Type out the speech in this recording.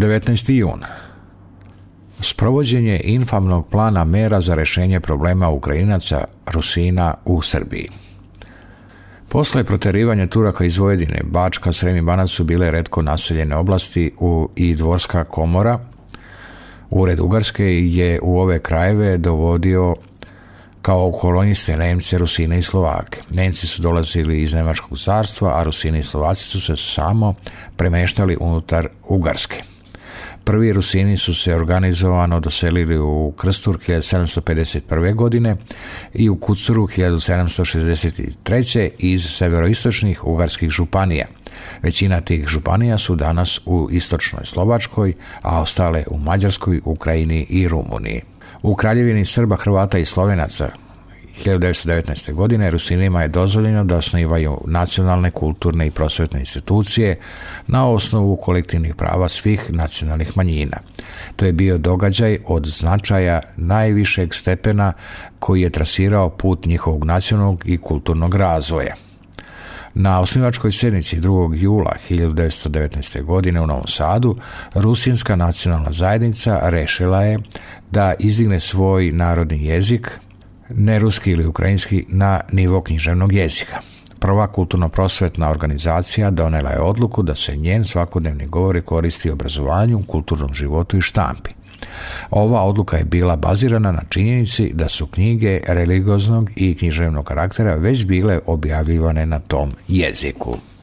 19. jun. Sprovođenje infamnog plana mera za rješenje problema Ukrajinaca Rusina u Srbiji. Posle proterivanja Turaka iz Vojvodine, Bačka, Srem i Banat su bile retko naseljene oblasti i Dvorska komora. Ured Ugarske je u ove krajeve dovodio kao koloniste Nemce, Rusine i Slovake. Nemci su dolazili iz Nemačkog carstva, a Rusini i Slovaci su se samo premeštali unutar Ugarske. Prvi Rusini su se organizovano doselili u Krstur 1751. godine i u Kucuru 1763. iz severoistočnih ugarskih županija. Većina tih županija su danas u istočnoj Slovačkoj, a ostale u Mađarskoj, Ukrajini i Rumuniji. U Kraljevini Srba, Hrvata i Slovenaca 1919. godine Rusinima je dozvoljeno da osnivaju nacionalne, kulturne i prosvetne institucije na osnovu kolektivnih prava svih nacionalnih manjina. To je bio događaj od značaja najvišeg stepena koji je trasirao put njihovog nacionalnog i kulturnog razvoja. Na osnivačkoj sjednici 2. jula 1919. godine u Novom Sadu Rusinska nacionalna zajednica rešila je da izdigne svoj narodni jezik, ne ruski ili ukrajinski, na nivo književnog jezika. Prva kulturno-prosvetna organizacija donela je odluku da se njen svakodnevni govor koristi u obrazovanju, kulturnom životu i štampi. Ova odluka je bila bazirana na činjenici da su knjige religioznog i književnog karaktera već bile objavljivane na tom jeziku.